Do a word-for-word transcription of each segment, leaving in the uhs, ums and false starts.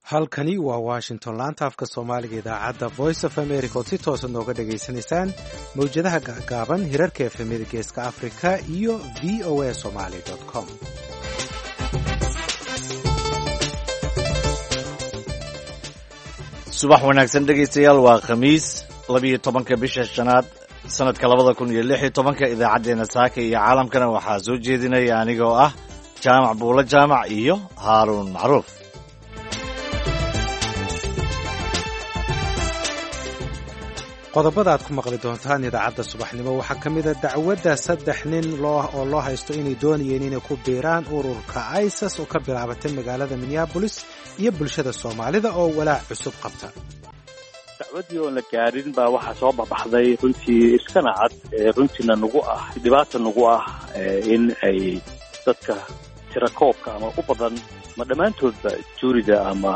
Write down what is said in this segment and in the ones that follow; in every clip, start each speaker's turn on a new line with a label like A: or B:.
A: Halkani waa Washington, laanta afka Soomaaliga, idaacadda Voice of America ood si toosa nooga dhagaysanaysaan mawjadaha gaagaaban, hirarka efemyada Geeska Africa iyo V O A Somali com.
B: Subax wanaagsan, dhegaystayaal. Waa Khamiis, labiyo tobanka bisha shanaad, sanadka labada kun iyo lix iyo tobanka. Idaacaddeenna saaka iyo caalamkana waxaa soo jeedinaya anigoo ah Jaamac Buulo Jaamac iyo Haaruun Macruuf.
A: Qodobada aad ku maqli doontaan idaacadda subaxnimo waxaa ka mid a dacwadda saddex nin oo loo haysto inay doonayeen inay ku biiraan ururka ISIS oo ka bilaabatay magaalada Minneapolis, iyo bulshada Soomaalida oo walaac cusub qabta.
C: Dacwaddii oon la gaarin baa waxaa soo baxbaxday runtii iskana cad, runtiina nagu ah dhibaata nagu ah, in ay dadka tirakoobka ama u badan ama dhammaantoodba juurida ama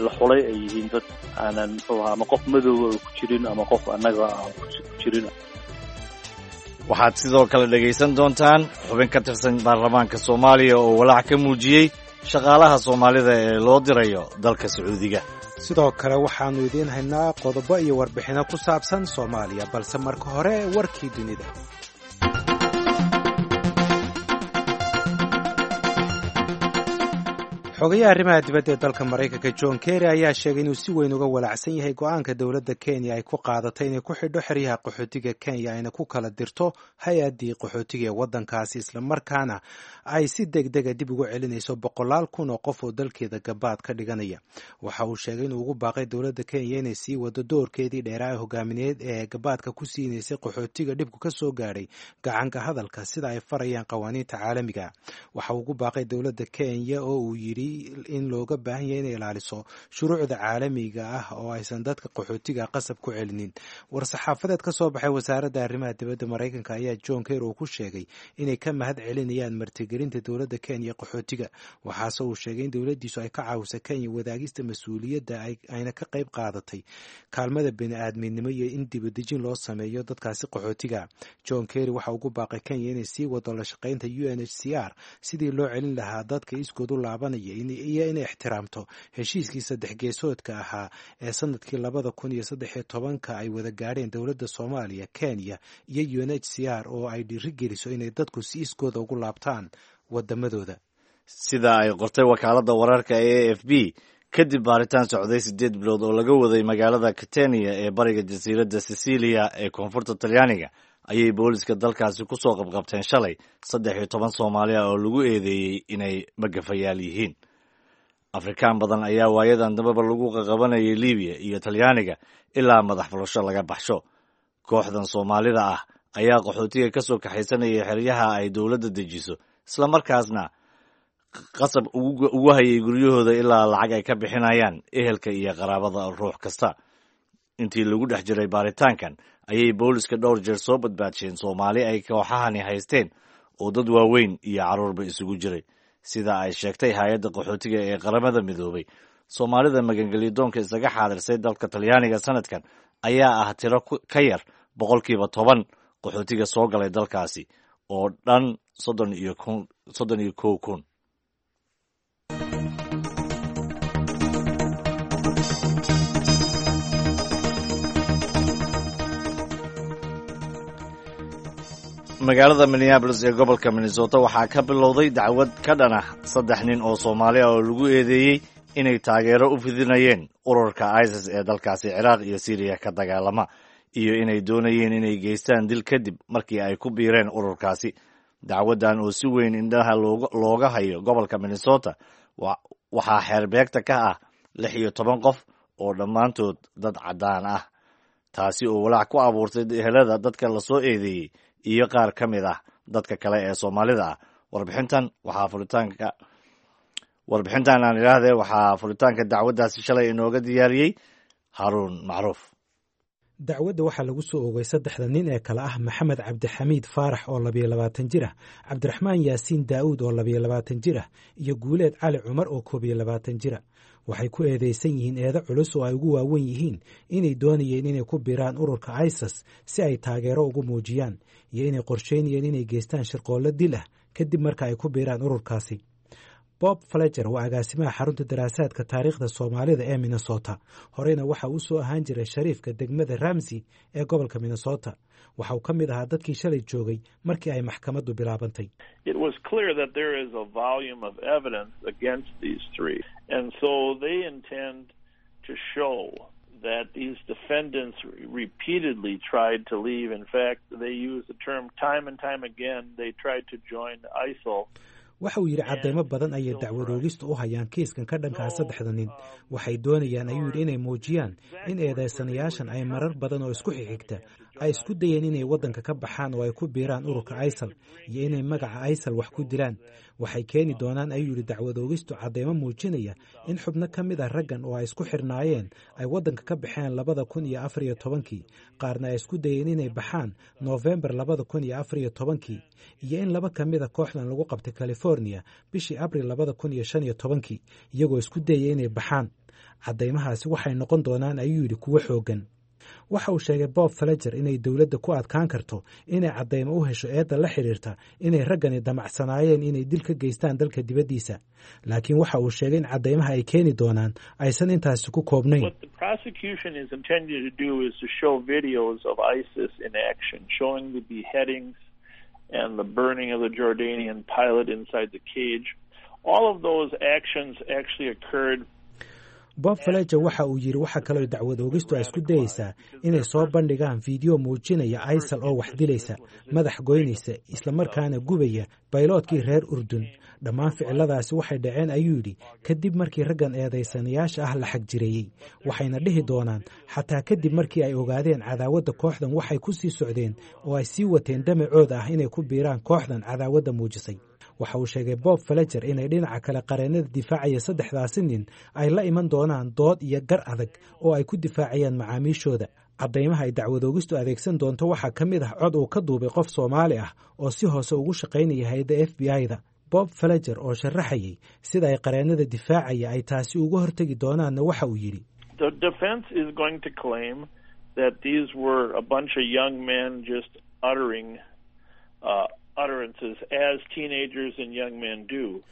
C: la xulay ay yihiin dad aanan muxuu ahaa ama qof madooba ku jirin ama qof annaga aan ku jirin.
B: Waxaad sidoo kale dhegaysan doontaan xubin ka tirsan baarlamaanka Soomaaliya oo walaac ka muujiyey shaqaalaha Soomaalida ee loo dirayo dalka Sacuudiga.
A: Sidoo kale waxaannu idiin haynaa qodobo iyo warbixinno ku saabsan Soomaaliya, balse marka hore warkii dunida. Xogayaha arrimaha dibadda ee dalka Maraykanka John Kerry ayaa sheegay inuu si weyn uga walaacsan yahay go-aanka dowladda Kenya ay ku qaadatay inay ku xidho xeryaha qaxootiga Kenya, ayna ku kala dirto hay-addii qaxootiga ee waddankaasi, islamarkaana ay si deg dega dib ugu celinayso boqolaal kun oo qof oo dalkeeda gabaad ka dhiganaya. Waxa uu sheegay inuu ugu baaqay dowladda Kenya inay sii wado doorkeedii dheeraa ee hogaamineed ee gabaadka ku siinaysay qaxootiga dhibku ka soo gaadhay gacanka hadalka, sida ay farayaan qawaaniinta caalamiga. Waxa uu ugu baaqay dowladda Kenya oo uu yidhi in looga baahan yahay inay ilaaliso shuruucda caalamiga ah oo aysan dadka qaxootiga qasab ku celinin. War-saxaafadeed ka soo baxay wasaaradda arrimaha dibadda Maraykanka ayaa John Kerry uu ku sheegay inay ka mahad celinayaan martigelinta dowladda Kenya qaxootiga. Waxaase uu sheegay in dowladdiisu ay ka caawisay Kenya wadaagista mas-uuliyadda, ayna ka qayb qaadatay kaalmada bini-aadminimo iyo in dibadejin loo sameeyo dadkaasi qaxootiga. John Kerry waxa ugu baaqay Kenya inay sii wado la shaqaynta U N H C R sidii loo celin lahaa dadka iskood u laabanaya, iyo inay ixtiraamto heshiiskii saddex geesoodka ahaa ee sanadkii labada kun iyo saddex iyo tobanka ay wada gaadheen dowladda Soomaaliya, Kenya iyo U N H C R, oo ay dhiiri geliso inay dadku si iskooda ugu laabtaan wadamadooda.
B: Sida ay qortay wakaaladda wararka ee A F P, kadib baaritaan socday siddeed bilood oo laga waday magaalada Catania ee bariga jasiiradda Sicilia ee koonfurta Talyaaniga, ayay booliska dalkaasi ku soo qabqabteen shalay saddex iyo toban Soomaaliya oo lagu eedeeyey inay magafayaal yihiin. Afrikaan badan ayaa waayadan dambaba lagu qaqabanayay Libiya iyo Talyaaniga ilaa madax furasho laga baxsho. Kooxdan Soomaalida ah ayaa qaxootiga ka soo kaxaysanayay xeryaha ay dowladda dejiso, islamarkaasna qasab ugu hayay guryahooda ilaa lacag ay ka bixinayaan ehelka iyo qaraabada ruux kasta. Intii lagu dhex jiray baaritaankan ayay booliska dhowr jeer soo badbaadsheen Soomaali ay kooxahani haysteen oo dad waaweyn iyo carruurba isugu jiray. Sida ay sheegtay hay-adda qaxootiga ee Qaramada Midoobay, Soomaalida magangelyadoonka isaga xaadirsay dalka Talyaaniga sanadkan ayaa ah tiro ka yar boqolkiiba toban qaxootiga soo galay dalkaasi oo dhan soddon iyo soddon iyo kow kun. Magaalada Minneapolis ee gobolka Minnesota waxaa ka bilowday dacwad ka dhan ah saddex nin oo Soomaali ah oo lagu eedeeyey inay taageero u fidinayeen ururka ISIS ee dalkaasi Ciraaq iyo Syriya ka dagaalama, iyo inay doonayeen inay geystaan dil kadib markii ay ku biireen ururkaasi. Dacwaddan oo si weyn indhaha looga hayo gobolka Minnesota waxaa xeerbeegta ka ah lix iyo toban qof oo dhammaantood dad caddaan ah, taasi oo walaac ku abuurtay ehelada dadka lasoo eedeeyey iyo qaar ka mid ah dadka kale ee Soomaalida ah. Warbixintan waxaa furitaanka warbixintan aan idhaahdee waxaa furitaanka dacwaddaasi shalay inooga diyaariyey Haaruun Macruuf.
A: Dacwadda waxaa lagu soo oogay saddexda nin ee kale ah Maxamed Cabdixamiid Faarax oo labiyo labaatan jir ah, Cabdiraxmaan Yaasiin Daa'uud oo labiyo labaatan jir ah, iyo Guuleed Cali Cumar oo koob iyo labaatan jira. Waxay ku eedeysan yihiin eedo culus oo ay ugu waawen yihiin inay doonayeen inay ku biiraan ururka ISIS si ay taageero ugu muujiyaan, iyo inay qorsheynayeen inay geystaan shirqoollo dil ah kadib marka ay ku biiraan ururkaasi. Bob Fletcher waa agaasimaha xarunta daraasaadka taariikhda Soomaalida ee Minnesota. Horeyna waxa uu soo ahaan jiray shariifka degmada Ramsey ee gobolka Minnesota. Waxa uu ka mid ahaa dadkii shalay joogay markii ay maxkamaddu bilaabantay.
D: It was clear that there is a volume of evidence against these three, and so they intend to show that these defendants repeatedly tried to leave. In fact, they used the term time and time again. They tried to join ISIL.
A: Waxa uu yidhi, caddaymo badan ayay dacwadoogistu u hayaan kiiskan ka dhankaa saddexda nin. Waxay doonayaan, ayuu yidhi, inay muujiyaan in eedaysanayaashan ay marar badan oo isku xigxigta ay isku dayeen inay waddanka ka baxaan oo ay ku biiraan ururka ISIL iyo inay magaca ISIL wax ku dilaan. Waxay keeni doonaan, ayuu yidhi, dacwadoogistu caddaymo muujinaya in xubno ka mid ah raggan oo ay isku xirnaayeen ay waddanka ka baxeen labada kun iyo afar iyo tobankii, qaarna ay isku dayeen inay baxaan Noofembar labada kun iyo afar iyo tobankii, iyo in laba ka mid a kooxdan lagu qabtay California bishii Abril labada kun iyo shan iyo tobankii iyagoo isku dayaya inay baxaan. Caddaymahaasi waxay noqon doonaan, ayuu yidhi, kuwo xooggan. Waxa uu sheegay Bob Fletcher inay dowladda ku adkaan karto inay caddaymo u hesho eedda la xidhiirta inay raggani damacsanaayeen inay dil ka geystaan dalka dibaddiisa, laakiin waxa uu sheegay in caddaymaha ay keeni doonaan aysan intaasi ku koobnayn.
D: What the prosecution is intending to do is to show videos of ISIS in action, showing the beheadings and the burning of the Jordanian pilot inside the cage. All of those actions actually occurred.
A: Bob Fletcher waxa uu yidhi, waxa kaloo dacwad oogistu ay isku dayeysaa inay soo bandhigaan fiideo muujinaya ISIL oo wax dilaysa, madax goynaysa, islamarkaana gubaya bayloodkii reer Urdun. Dhammaan ficiladaasi waxay dhaceen, ayuu yidhi, kadib markii raggan eedaysanayaasha ah la xagjireeyey. Waxayna dhihi doonaan, xataa kadib markii ay ogaadeen cadaawadda kooxdan, waxay ku sii socdeen oo ay sii wateen damacooda ah inay ku biiraan kooxdan cadaawadda muujisay. Waxa uu sheegay Bob Fletcher inay dhinaca kale qareennada difaacaya saddexdaasi nin ay la iman doonaan dood iyo gar adag oo ay ku difaacayaan macaamiishooda. Caddaymaha ay dacwadoogistu adeegsan doonto waxaa ka mid ah cod uu ka duubay qof Soomaali ah oo si hoose ugu shaqaynaya hay-adda F B I-da. Bob Fletcher oo sharaxayay sida ay qareennada difaacaya ay taasi uga hortegi doonaanna waxa uu yidhi:
D: The defense is going to claim that these were a bunch of young men just uttering uh, utterances as teenagers and young men do.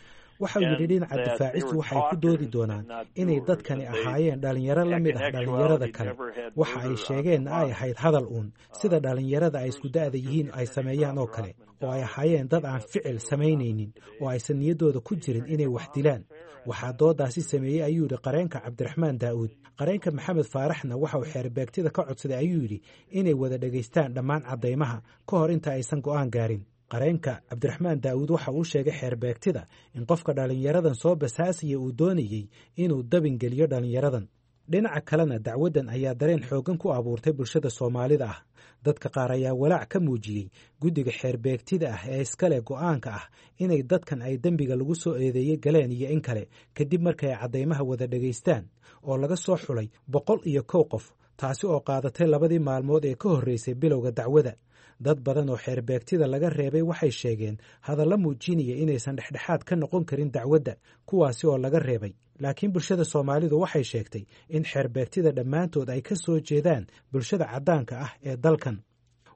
A: Waxa uu yidhi, dhinaca difaacistu waxay ku doodi doonaan inay dadkani ahaayeen dhallinyaro la mid ah dhallinyarada kale, waxa ay sheegeenna ay ahayd hadal uun sida dhallinyarada ay isku da'da yihiin ay sameeyaan oo kale, oo ay ahaayeen dad aan ficil samaynaynin oo aysan niyaddooda ku jirin inay wax dilaan. Waxaa doodaasi sameeyey, ayuu yidhi, qareenka Cabdiraxmaan Daa'uud. Qareenka Maxamed Faaraxna waxa uu xeerbeegtida ka codsaday, ayuu yidhi, inay wada dhegaystaan dhammaan caddaymaha ka hor inta aysan go'aan gaarin. Qareenka Cabdiraxmaan Daa'uud waxa uu sheegay xeerbeegtida in qofka dhallinyaradan soo basaasaya uu doonayey inuu dabin geliyo dhallinyaradan. Dhinaca kalena, dacwaddan ayaa dareen xooggan ku abuurtay bulshada Soomaalida ah. Dadka qaar ayaa walaac ka muujiyey guddiga xeerbeegtida ah ee iskale go'aanka ah inay dadkan ay dembiga lagu soo eedeeyey galeen iyo in kale, kadib markay ay caddaymaha wada dhegaystaan oo laga soo xulay boqol iyo kow qof, taasi oo qaadatay labadii maalmood ee ka horreysay bilowga dacwada. Dad badan oo xeerbeegtida laga reebay waxay sheegeen hadallo muujinaya inaysan dhexdhexaad ka noqon karin dacwadda, kuwaasi oo laga reebay. Laakiin bulshada Soomaalidu waxay sheegtay in xeerbeegtida dhammaantood ay ka soo jeedaan bulshada caddaanka ah ee dalkan.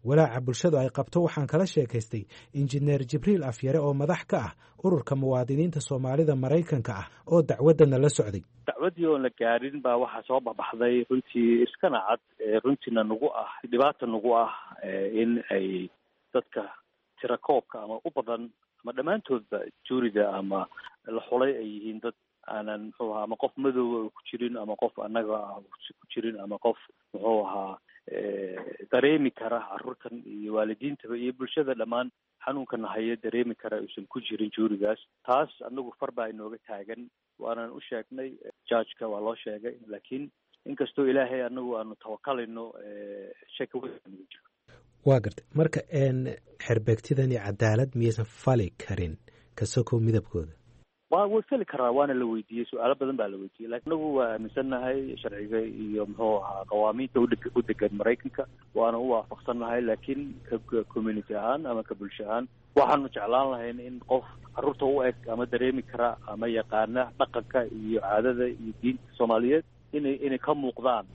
A: Walaaca bulshadu ay qabto waxaan kala sheekaystay Injineer Jibriil Afyare oo madax ka ah Ururka Muwaadiniinta Soomaalida Maraykanka ah oo dacwaddana la socday.
C: Dacwaddii oon la gaarin baa waxaa soo baxbaxday, runtii iskana cad, runtiina nagu ah dhibaata nagu ah, in ay dadka tirakoobka ama u badan ama dhammaantoodba juurida ama la xulay ay yihiin dad aanan, muxuu ahaa, ama qof madooba ku jirin, ama qof annaga ku jirin, ama qof, muxuu ahaa, dareemi kara carruurtan iyo waalidiintaba iyo bulshada dhammaan xanuunkana haya dareemi kara uusan ku jirin juurigaas. Taas anagu far baa inooga taagan, waanan u sheegnay judgeka, waa loo sheegay, laakiin inkastoo Ilaahay anagu aanu tawakalayno, shaki weyn nagu jiro.
A: Waa gartay. Marka xeerbeegtidani cadaalad miyaysan fali karin kasokow midabkooda?
C: Wa way fali karaa, waana la weydiiyey, su-aalo badan baa la weydiiyey, lakin anagu waa aaminsannahay sharciga iyo, muxuu ahaa, qawaamiinta udhe u degan Maraykanka, waana u waafaqsannahay. Laakiin ka community ahaan ama ka bulsho ahaan waxaanu jeclaan lahayn in qof carruurta u eg ama dareemi kara ama yaqaana dhaqanka iyo caadada iyo diinta Soomaaliyeed inay inay ka muuqdaan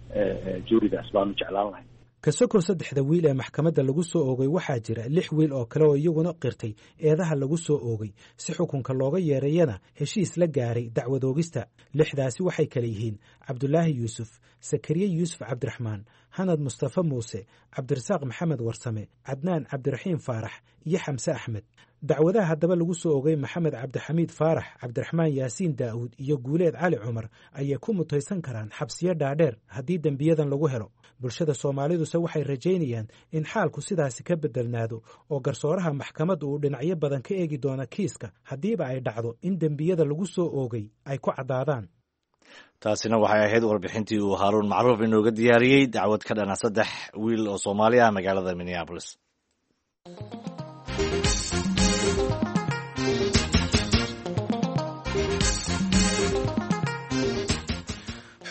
C: juuridaas baanu jeclaan lahayn.
A: Kasokow saddexda wiil ee maxkamadda lagu soo oogay, waxaa jira lix wiil oo kale oo iyaguna qirtay eedaha lagu soo oogay, si xukunka looga yeerayana heshiis la gaaray dacwad oogista. Lixdaasi waxay kale yihiin Cabdulaahi Yuusuf, Sakariye Yuusuf Cabdiraxmaan, Hanad Mustafa Muuse, Cabdirasaaq Maxamed Warsame, Cadnaan Cabdiraxiim Faarax iyo Xamse Axmed. Dacwadaha haddaba lagu soo ogay Maxamed Cabdixamiid Faarax, Cabdiraxmaan Yaasiin Daa'uud iyo Guuleed Cali Cumar ayay ku mutaysan karaan xabsiyo dhaadheer haddii dembiyadan lagu helo. Bulshada Soomaaliduse waxay rajaynayaan in xaalku sidaasi ka bedelnaado oo garsooraha maxkamadda uu dhinacyo badan ka eegi doono kiiska, haddiiba ay dhacdo in dembiyada lagu soo oogay ay ku caddaadaan.
B: Taasina waxay ahayd warbixintii uu Haaruun Macruuf inooga diyaariyey dacwad ka dhana saddex wiil oo Soomaali ah magaalada Minneapolis.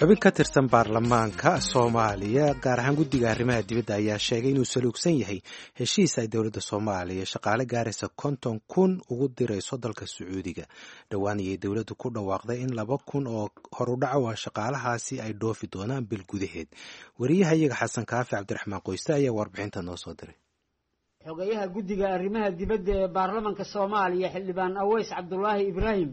A: Xubin ka tirsan baarlamaanka Soomaaliya, gaar ahaan guddiga arrimaha dibadda, ayaa sheegay inuu saluugsan yahay heshiis ay dowladda Soomaaliya shaqaale gaaraysa konton kun ugu dirayso dalka Sacuudiga. Dhowaan ayay dowladdu ku dhawaaqday in laba kun oo horudhaco ah shaqaalahaasi ay dhoofi doonaan bil gudaheed. Wariyaha iyaga Xasan Kaafi Cabdiraxmaan Qoyste ayaa warbixinta noo soo diray.
E: Xogayaha guddiga arrimaha dibadda ee baarlamanka Soomaaliya, Xildhibaan Aweys Cabdulaahi Ibraahim,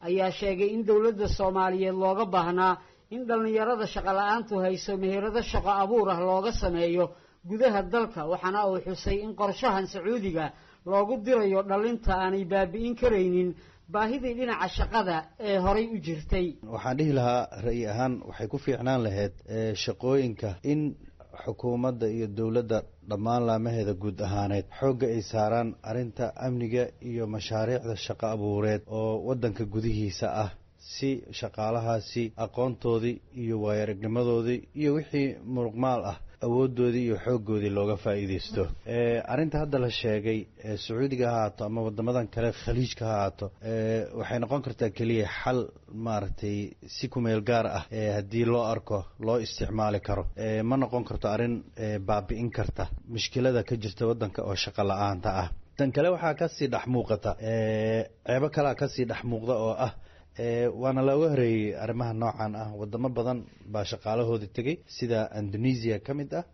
E: ayaa sheegay in dowladda Soomaaliyeed looga baahnaa in dhallinyarada shaqo la-aantu hayso meherado shaqo abuur ah looga sameeyo gudaha dalka, waxaana uu xusay in qorshahan Sacuudiga loogu dirayo dhallinta aanay baabi'in karaynin baahidii dhinaca shaqada ee horay u jirtay.
F: Waxaan dhihi lahaa ra'yi ahaan waxay ku fiicnaan lahayd shaqooyinka in xukuumadda iyo dowladda dhammaan laamaheeda guud ahaaneed xoogga ay saaraan arrinta amniga iyo mashaariicda shaqo abuureed oo waddanka gudihiisa ah, si shaqaalahaasi aqoontoodii iyo waayaragnimadoodii iyo wixii muruqmaal ah awooddoodii iyo xooggoodii looga faa'iidaysto. Arrinta hadda la sheegay, Sacuudiga ha ahaato ama waddamadan kale Khaliijka ha ahaato, waxay noqon kartaa keliya xal maaragtay si kumeel gaar ah haddii loo arko loo isticmaali karo. Ma noqon karto arrin baabi'in karta mushkilada ka jirta waddanka oo shaqo la-aanta ah. Tan kale waxaa kasii dhex muuqata ceebo kalea kasii dhex muuqda oo ah waana looga horeeyey arrimaha noocan ah. Wadamo badan baa shaqaalahoodii tegey, sida Indonesia ka mid ah,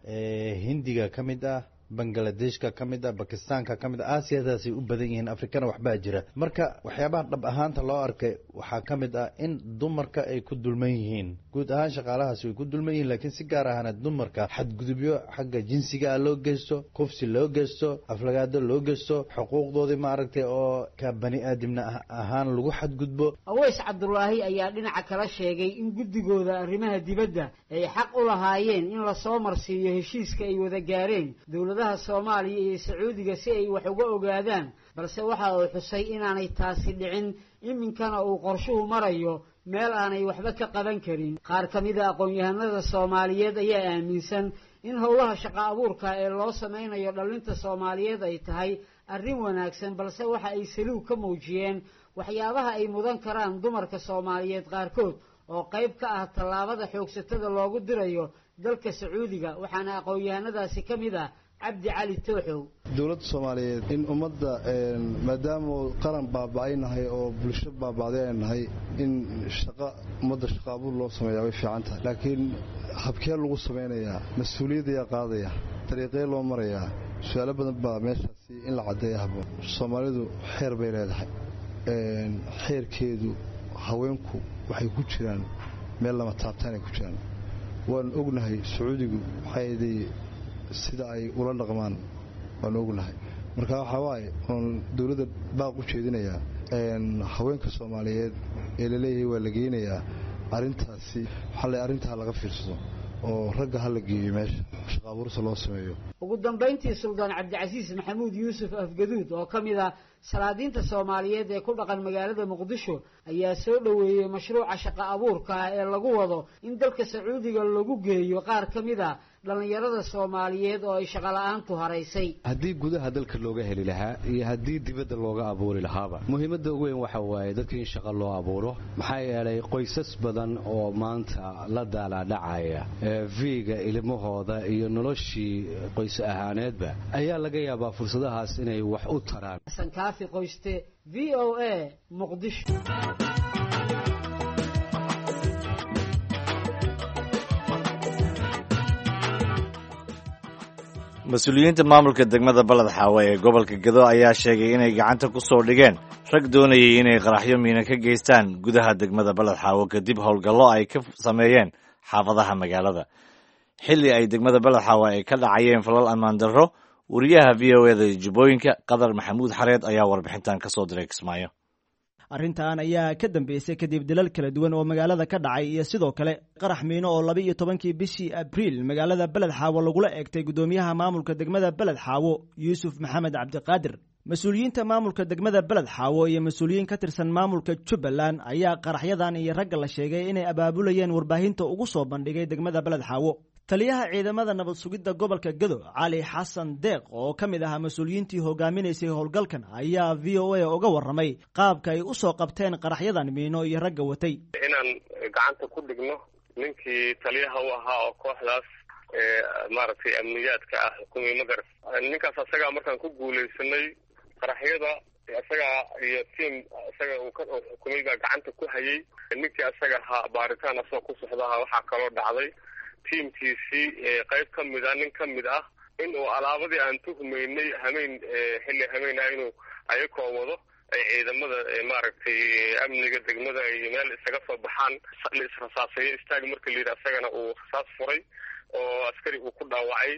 F: Hindiga ka mid ah, Bangladeshka ka mid ah, Bakistaanka ka mid ah. Aasiyadaasay u badan yihiin, Afrikana waxbaa jira. Marka waxyaabaha dhab ahaanta loo arkay waxaa ka mid ah in dumarka ay ku dulman yihiin. Guud ahaan shaqaalahaasi way ku dulman yihiin, laakiin si gaar ahaana dumarka xadgudubyo xagga jinsiga ah loo geysto, kufsi loo geysto, aflagaado loo geysto, xuquuqdoodii maaragtay oo ka bani aadamna ahaan lagu xadgudbo.
E: Aweys Cabdulaahi ayaa dhinaca kala sheegay in guddigooda arrimaha dibadda ay xaq u lahaayeen in lasoo marsiiyo heshiiska ay wada gaareen dowladaha Soomaaliya iyo Sacuudiga si ay wax uga ogaadaan, balse waxa uu xusay inaanay taasi dhicin, iminkana uu qorshuhu marayo meel aanay waxba ka qaban karin. Qaar ka mida aqoon-yahanada Soomaaliyeed ayaa aaminsan in howlaha shaqo abuurka ee loo sameynayo dhallinta Soomaaliyeed ay tahay arrin wanaagsan, balse waxa ay saluug ka muujiyeen waxyaabaha ay mudan karaan dumarka Soomaaliyeed qaarkood oo qayb ka ah tallaabada xoogsatada loogu dirayo dalka Sacuudiga. Waxaana aqoon-yahanadaasi ka mid ah Cabdi Cali Tooxow.
G: Dowladda Soomaaliyeed in ummadda, maadaama qaran baaba'ay nahay oo bulsho baaba'day ay nahay, in shaqa ummadda shaqa abuur loo sameeyaa way fiican tahay, laakiin habkee lagu samaynayaa, mas-uuliyaddayaa qaadaya, dariiqee loo marayaa, su-aalo badan baa meeshaasi in la caddeeya habboon. Soomaalidu xeer bay leedahay, xeerkeedu haweenku waxay ku jiraan meel lama taabtaanay ku jiraan. Waanu ognahay Sacuudigu waxay sida ay ula dhaqmaan, waanu ognahay. Marka waxaa waaye oon dowladda baaq u jeedinayaa haweenka Soomaaliyeed ee laleeyahay waa la geynayaa arrintaasi, waxaa le arrintaa laga fiirsado oo ragga ha la geeyo meesha shaqa abuursa loo sameeyo.
E: Ugu dambayntii, Suldaan Cabdicasiis Maxamuud Yuusuf Afgaduud oo ka mid ah salaadiinta Soomaaliyeed ee ku dhaqan magaalada Muqdisho ayaa soo dhoweeyey mashruuca shaqo abuurka ah ee lagu wado in dalka Sacuudiga lagu geeyo qaar ka mid ah dhallinyarada Soomaaliyeed oo ay shaqo la-aantu haraysay.
H: Haddii gudaha dalka looga heli lahaa iyo haddii dibadda looga abuuri lahaaba, muhiimadda ugu weyn waxa waaye dadka in shaqo loo abuuro. Maxaa yeelay qoysas badan oo maanta la daalaadhacaya viiga ilmahooda iyo noloshii qoys ahaaneedba ayaa laga yaabaa fursadahaas inay wax u taraan.
E: Xasan Kaafi Qoyste, V O A, Muqdisho.
B: Mas-uuliyiinta maamulka degmada Balad Xaawe ee gobolka Gado ayaa sheegay inay gacanta ku soo dhigeen rag doonayay inay qaraxyo miina ka geystaan gudaha degmada Balad Xaawo kadib howlgallo ay ka sameeyeen xaafadaha magaalada xilli ay degmada Balad Xaawe ay ka dhacayeen falal ammaan darro. Wariyaha V O eda Jubbooyinka, Qadar Maxamuud Xareed, ayaa warbixintan ka soo diray Kismaayo.
I: Arrintan ayaa ka dambeysay kadib dilal kala duwan oo magaalada ka dhacay iyo sidoo kale qarax miino oo laba iyo tobankii bishii Abriil magaalada Beled Xaawo lagula eegtay guddoomiyaha maamulka degmada Beled Xaawo, Yuusuf Maxamed Cabdiqaadir. Mas-uuliyiinta maamulka degmada Beled Xaawo iyo mas-uuliyiin ka tirsan maamulka Jubbaland ayaa qaraxyadan iyo ragga la sheegay inay abaabulayeen warbaahinta ugu soo bandhigay degmada Beled Xaawo. Taliyaha ciidamada nabad sugidda gobolka Gado, Cali Xasan Deeq, oo ka mid ahaa mas-uuliyiintii hogaaminaysay howlgalkan, ayaa V O A uga warramay qaabka ay u soo qabteen qaraxyadan miino iyo ragga watay.
J: Inaan gacanta ku dhigno ninkii taliyaha u ahaa oo kooxdaas maaragtay amniyaadka ah xukumay, ma garat? Ninkaas asagaa markaan ku guulaysanay qaraxyada, isagaa iyo tiam isaga uu ka xukumay baa gacanta ku hayay. Ninkii asaga ahaa baaritaan asagoo ku socdaha waxaa kaloo dhacday tiimkiisii qayb ka mid ah, nin ka mid ah, in uu alaabadii aan tuhmaynay hameyn, xilli hameyn ah, inuu ayakoo wado ay ciidamada maaragtay amniga degmada ay meel isaga soo baxaan, la israsaaseeyo. Istaag marka la yidhi, asagana uu rasaas furay oo askari uu ku dhaawacay,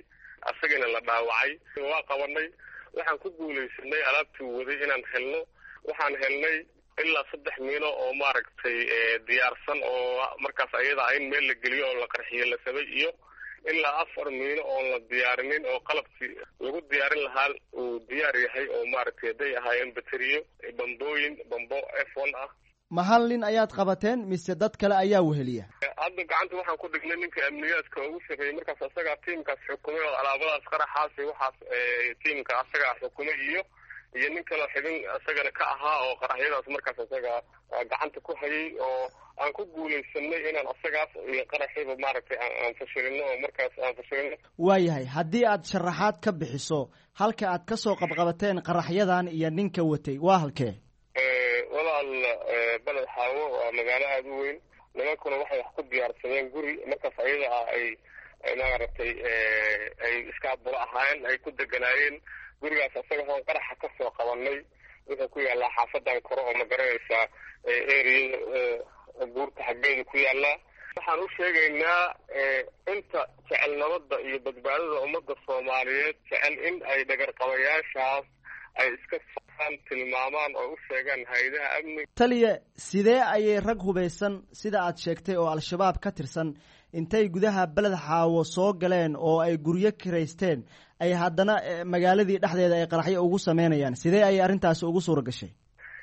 J: asagana la dhaawacay. Waa qabanay, waxaan ku guulaysanay alaabtii waday inaan helno. Waxaan helnay ilaa saddex miino oo maaragtay diyaarsan oo markaas ayada in meel la geliyo oo la qarxiyo la sabay, iyo ilaa afar miino oon la diyaarinin oo qalabkii lagu diyaarin lahaa uu diyaar yahay, oo maaragtay hadday ahaayeen bateriyo, bambooyin, bambo F one ah.
I: Ma hal nin ayaad qabateen mise dad kale ayaa weheliya?
J: Hadda gacanta waxaan ku dhignay ninka amniyaadka ugu sarreeyey markaas asagaa tiimkaas xukumay oo alaabadaas qaraxaas iyo waxaas tiimka asagaa xukumay, iyo iyo nin kaloo xibin isagana ka ahaa oo qaraxyadaas markaas isaga gacanta ku hayay, oo aan ku guulaysanay inaan asagaas iyo qaraxiiba maaragtay aan fashilino oo markaas aan fashilino.
I: Waayahay, haddii aad sharaxaad ka bixiso halka aad ka soo qabqabateen qaraxyadan iyo ninka watay, waa halkee?
J: Walaal, Beled Xaawo waa magaalo aada u weyn. Nimankuna waxay wax ku diyaarsadeen guri markaas ayada ah ay maaragtay ay iskaabulo ahaayeen, ay ku deganaayeen. Gurigaas asaga hoon qaraxa ka soo qabanay wuxuu ku yaallaa xaafadan kore oo ma garanaysaa eriyada buurta xaggeeda ku yaallaa. Waxaan u sheegaynaa inta jecel nabadda iyo badbaadada ummadda Soomaaliyeed jecel in ay dhagarqabayaashaas ay iska saan tilmaamaan oo u sheegaan hay-adaha amniga.
I: Taliya, sidee ayay rag hubaysan sida aad sheegtay oo Al-Shabaab ka tirsan intay gudaha Beled Xaawo soo galeen oo ay guryo kiraysteen ay haddana magaaladii dhexdeeda ay qaraxyo ugu sameynayaan? Sidee ayay arrintaasi ugu suura gashay?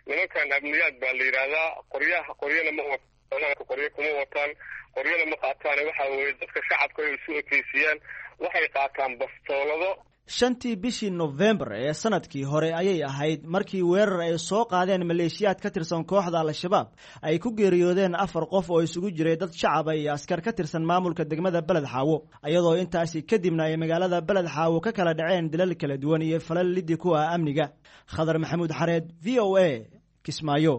J: Nimankan amniyaad baa la yidhaahdaa. Qoryaha qoryana ma wataan, qoryo kuma wataan, qoryana ma qaataan. Waxa weeye dadka shacabka ay isu ekeysiiyaan, waxay qaataan bastoolado.
I: Shantii bishii Nofembar ee sanadkii hore ayay ahayd markii weerar ay soo qaadeen maleeshiyaad ka tirsan kooxda Al-Shabaab ay ku geeriyoodeen afar qof oo isugu jiray dad shacaba iyo askar ka tirsan maamulka degmada Beled Xaawo, iyadoo intaasi kadibna ay magaalada Beled Xaawo ka kala dhaceen dilal kala duwan iyo falal liddi ku ah amniga. Khadar Maxamuud Xareed, V O A, Kismaayo.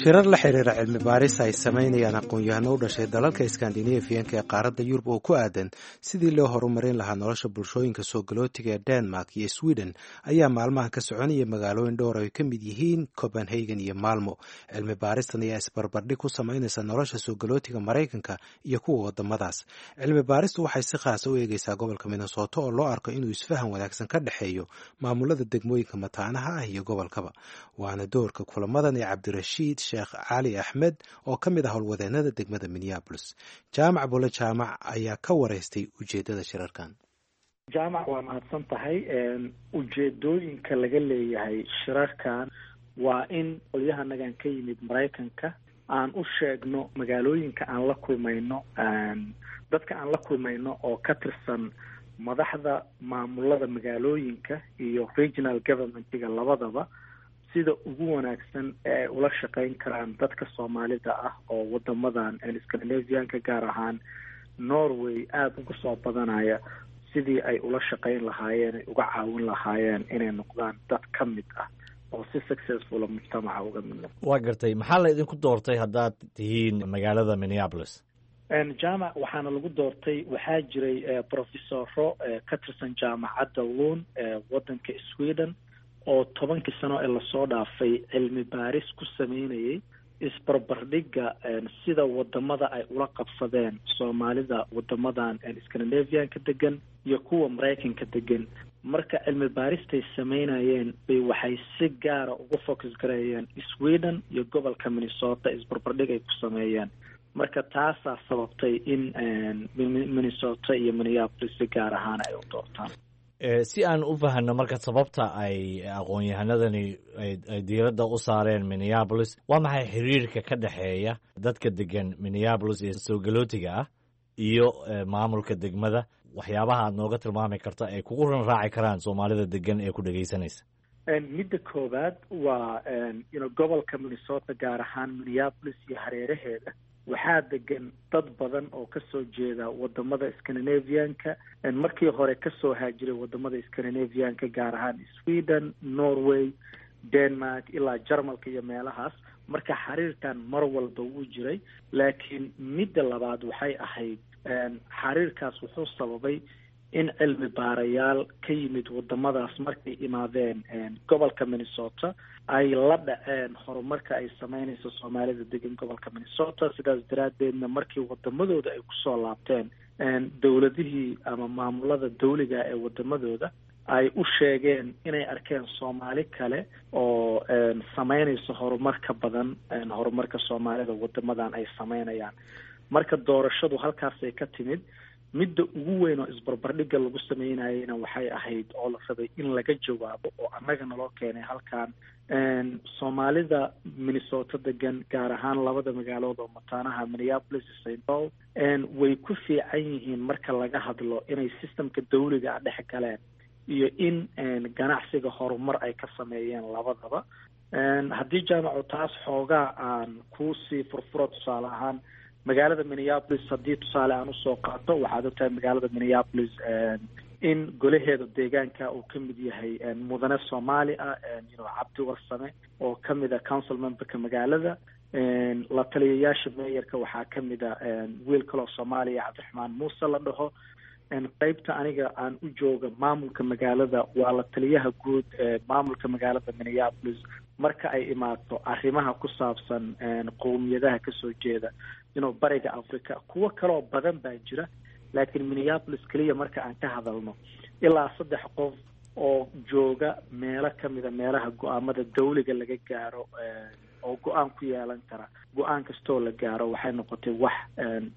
A: Shirar la xiriira cilmi baaris ay samaynayaan aqoon-yahano u dhashay dalalka Iskandinafiyanka ee qaaradda Yurub oo ku aadan sidii loo horumarin lahaa nolosha bulshooyinka soo galootiga ee Denmark iyo Sweden ayaa maalmahan ka soconaya magaalooyin dhowr ay ka mid yihiin Copenhagen iyo Malmo. Cilmi baaristan ayaa isbarbardhig ku samaynaysa nolosha soo galootiga Maraykanka iyo kuwa wadamadaas. Cilmi baaristu waxay si khaasa u eegeysaa gobolka Minnesota oo loo arko inuu isfahan wanaagsan ka dhexeeyo maamulada degmooyinka mataanaha ah iyo gobolkaba. Waana doorka kulamadan ee Cabdirashiid Sheekh Cali Axmed oo ka mid ah howlwadeenada degmada Minneapolis. Jaamac Bule Jaamac ayaa ka wareystay ujeedada shirarkan.
K: Jaamac, waa mahadsan tahay. Ujeedooyinka laga leeyahay shirarkan waa in qolyahanagan ka yimid Maraykanka aan u sheegno magaalooyinka aan la kulmayno, dadka aan la kulmayno oo ka tirsan madaxda maamulada magaalooyinka iyo regional governmentiga labadaba, sida ugu wanaagsan ee ay ula shaqeyn karaan dadka Soomaalida ah oo wadamadan Scandinavianka, gaar ahaan Norway, aada uga soo badanaya, sidii ay ula shaqeyn lahaayeen, ay uga caawin lahaayeen inay noqdaan dad ka mid ah oo si successfula mujtamaca uga mid noqda.
B: Waa gartay. Maxaa la idinku doortay haddaad tihiin magaalada Minneapolis?
K: Jaamac, waxaana lagu doortay, waxaa jiray professoro ka tirsan jaamacadda Lund ee waddanka Sweden oo tobankii sano ee lasoo dhaafay cilmi baaris ku sameynayay isbarbardhigga sida wadamada ay ula qabsadeen Soomaalida wadamadan Scandinavian-ka degan iyo kuwa Maraykanka degan. Marka cilmi baaristay sameynayeen bay waxay si gaara uga focus gareeyeen Sweden iyo gobolka Minnesota, isbarbardhig ay ku sameeyeen. Marka taasaa sababtay in Minnesota iyo Minneapolis si gaar ahaan ay u doortaan.
B: Si aan u fahanno marka sababta ay aqoon-yahanadani ay diiradda u saareen Minneapolis, waa maxay xiriirka ka dhexeeya dadka degan Minneapolis ee soo galootiga ah iyo maamulka degmada? Waxyaabaha aad nooga tilmaami karta ay kugu ran raaci karaan Soomaalida degan ee ku dhegaysanaysa.
K: Midda koowaad waa ino gobolka Minnesota, gaar ahaan Minneapolis iyo hareeraheeda, waxaa degan dad badan oo kasoo jeeda wadamada Scandinavian-ka, markii hore kasoo haajiray wadamada Scandinavian-ka, gaar ahaan Sweden, Norway, Denmark ilaa Jarmalka iyo meelahaas. Marka xiriirkan mar walba wuu jiray. Laakiin midda labaad waxay ahayd, xiriirkaas wuxuu sababay in cilmi baarayaal ka yimid wadamadaas markay imaadeen gobolka Minnesota ay la dhaceen horumarka ay sameynayso Soomaalida degan gobolka Minnesota. Sidaas daraaddeedna markii wadamadooda ay kusoo laabteen, dowladihii ama maamulada dawliga ee wadamadooda ay u sheegeen inay arkeen Soomaali kale oo sameynayso horumar ka badan horumarka Soomaalida wadamadan ay sameynayaan. Marka doorashadu halkaasay ka timid. Midda ugu weyn oo isbarbardhigga lagu sameynayeyna waxay ahayd oo la rabay in laga jawaabo oo annaga naloo keenay halkan, Soomaalida Minnesota degan, gaar ahaan labada magaalood oo mataanaha Minneapolis iyo Saint Paul, way ku fiican yihiin marka laga hadlo inay systemka dawliga ah dhex galeen iyo in ganacsiga horumar ay ka sameeyeen labadaba. Haddii, Jaamacu, taas xoogaa aan kuusii furfuro, tusaale ahaan magaalada Minneapolis haddii tusaale aan usoo qaato, waxaad ogtahay magaalada Minneapolis in golaheeda deegaanka uu ka mid yahay mudane Soomaali ah, you Cabdi Warsame, oo kamid a council memberka magaalada. La taliyayaasha mayorka waxaa kamid a wiil kaloo Soomaaliya, Cabdiraxmaan Muuse la dhaho. Qeybta aniga aan u jooga maamulka magaalada waa la taliyaha guud ee maamulka magaalada Minneapolis marka ay imaato arrimaha ku saabsan qowmiyadaha kasoo jeeda inuu bariga Africa. Kuwo kaloo badan baa jira, laakiin Minneapolis keliya marka aan ka hadalno, ilaa saddex qof oo jooga meelo kamida meelaha go-aamada dawliga laga gaaro oo go-aan ku yeelan kara go-aan kastoo la gaaro, waxay noqotay wax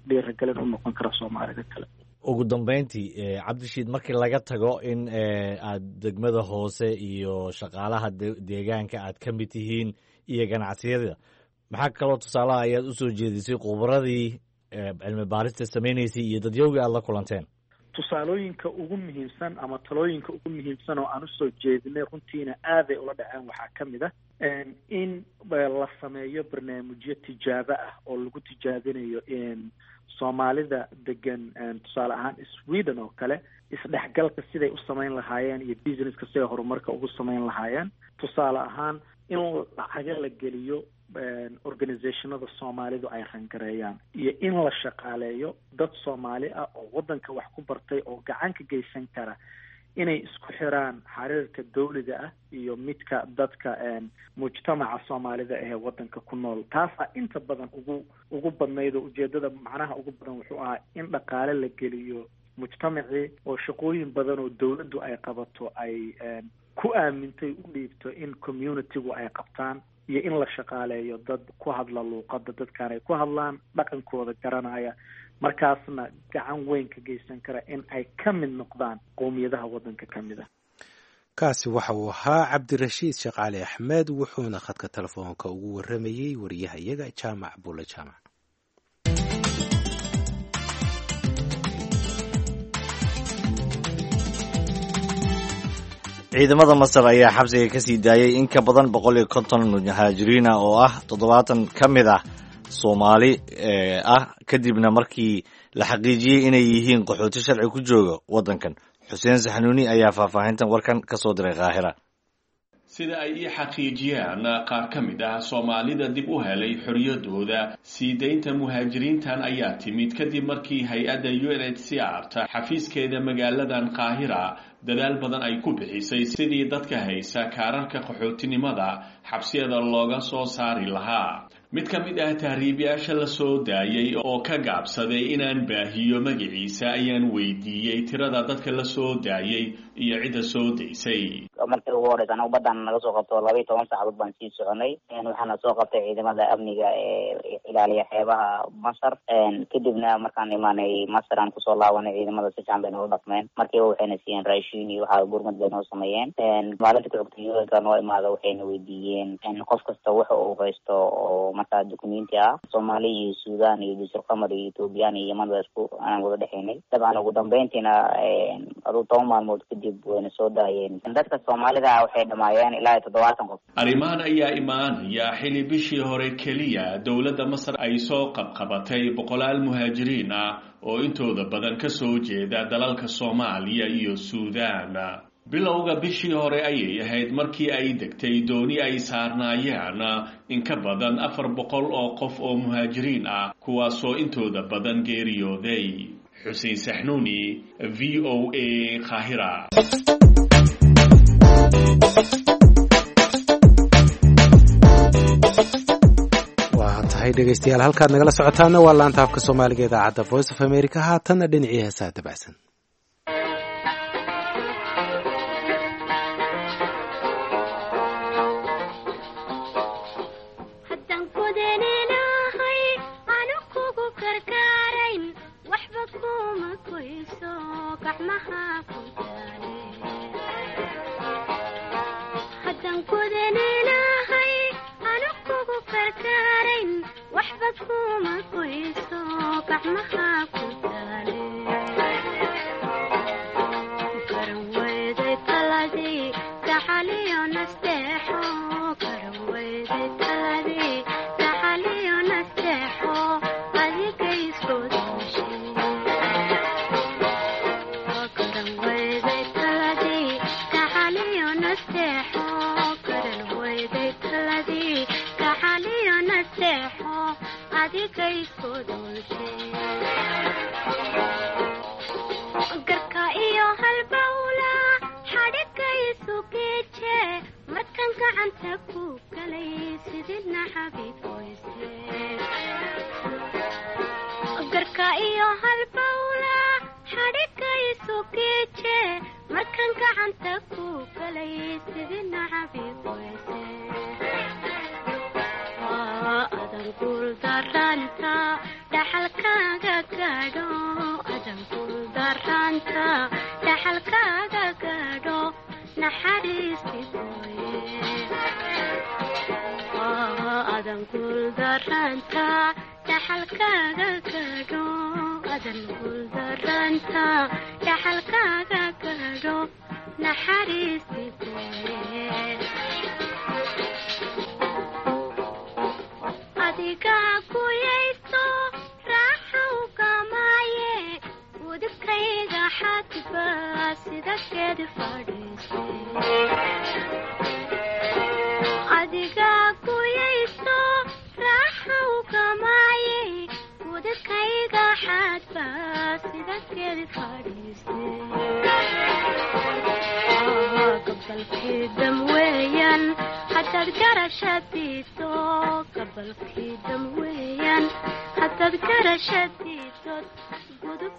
K: dhiiragelin u noqon kara Soomaalida kale.
B: Ugu dambeyntii, Cabdishiid, markii laga tago in aad degmada hoose iyo shaqaalaha deegaanka aad ka mid tihiin iyo ganacsiyada, maxaa kaloo tusaalaha ayaad usoo jeedisay khubradii cilmi baarista sameynaysay iyo dadyowgii aad la kulanteen?
K: Tusaalooyinka ugu muhiimsan ama talooyinka ugu muhiimsan oo aan usoo jeedinay, runtiina aaday ula dhaceen, waxaa ka mid ah in la sameeyo barnaamijyo tijaabo ah oo lagu tijaabinayo Soomaalida degan, tusaale ahaan Sweden oo kale, isdhexgalka siday u samayn lahaayeen iyo businesska siday horumarka ugu samayn lahaayeen. Tusaale ahaan in lacaga la geliyo organizationada Soomaalidu ay rangareeyaan iyo in la shaqaaleeyo dad Soomaali ah oo waddanka wax ku bartay oo gacan ka geysan kara inay isku xiraan xiriirka dawliga ah iyo midka dadka mujtamaca Soomaalida ahee waddanka ku nool. Taasaa inta badan ugu ugu badnayd oo ujeedada macnaha ugu badan wuxuu ahaa in dhaqaale la geliyo mujtamacii oo shaqooyin badan oo dawladdu ay qabato ay ku aamintay u dhiibto in communitygu ay qabtaan, iyo in la shaqaaleeyo dad ku hadla luuqadda dadkaan ay ku hadlaan, dhaqankooda garanaya, markaasna gacan weyn ka geysan kara in ay ka mid noqdaan qowmiyadaha waddanka ka mid ah.
A: Kaasi waxa uu ahaa Cabdirashiid Sheekh Cali Axmed, wuxuuna khadka telefoonka ugu warramayey wariyaha iyaga Jaamac Bulle Jaamac.
B: Ciidamada Masar ayaa xabsiga ka sii daayay in ka badan boqol iyo konton muhaajiriina oo ah toddobaatan ka mid ah Soomaali ah, kadibna markii la xaqiijiyey inay yihiin qaxooti sharci ku jooga waddankan. Xuseen Saxanuuni ayaa faahfaahintan warkan ka soo diray Qaahira.
L: Sida ay ii xaqiijiyaan qaar ka mid ah Soomaalida dib u helay xorriyadooda, sii deynta muhaajiriintan ayaa timid kadib markii hay-adda U N H C R ta xafiiskeeda magaaladan Qaahira dadaal badan ay ku bixisay sidii dadka haysa kaararka qaxootinimada xabsiyada looga soo saari lahaa. Mid ka mid ah tahriibayaasha la soo daayay oo ka gaabsaday inaan baahiyo magaciisa ayaan weydiiyey tirada dadka la soo daayay iyo cidda soo daysay.
M: Markii ugu horeysa anagu badan naga soo qabto laba iyo toban saacadood baan sii soconay. Waxaana soo qabtay ciidamada amniga ee ilaaliya xeebaha Masar. Kadibna markaan imaanay Masar aan kusoo laabanay, ciidamada si fiican bay noola dhaqmeen. Markiiba waxayna siiyeen raashin iyo waxaa gurmad bay noo sameeyeen. Maalinta ku xigtay U N ka noo imaada waxayna weydiiyeen qof kasta waxa uu haysto oo markaa dukumenti ah. Soomaali iyo Suudaan iyo Jasiir Qamar iyo Ethoobiyan iyo Yeman baa isku aan wada dhexaynay. Dabcan ugu dambeyntiina aduu toban maalmood kadib wayna soo daayeen. Dadka Soomaalida ah waxay dhamaayeen ilaa iyo toddobaatan qof.
L: Arrimahan ayaa imaanaya xili bishii hore keliya dowladda Masar ay soo qabqabatay boqolaal muhaajiriin ah oo intooda badan ka soo jeeda dalalka Soomaaliya iyo Suudaan. Bilowga bishii hore ayay ahayd markii ay degtay dooni ay saarnaayeen in ka badan afar boqol oo qof oo muhaajiriin ah, kuwaasoo intooda badan geeriyooday. Xuseen Saxnuuni, V O A, Qaahira.
A: Waa tahay dhegeystayaal, halkaad nagala socotaana waa laanta afka Soomaaliga idaacadda Voice of America. Haatanna dhinacii heesaha dabacsan.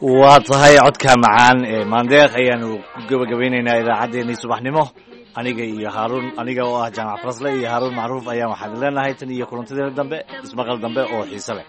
B: Waa tahay codka macaan ee Maandeeq ayaanu ku gabagabaynaynaa idaacaddeenii subaxnimo. Aniga iyo Haaruun, aniga oo ah Jaamac Farasle iyo Haaruun Macruuf ayaan waxaan leenahay tan iyo kulantadeena dambe, ismaqal dambe oo xiise leh.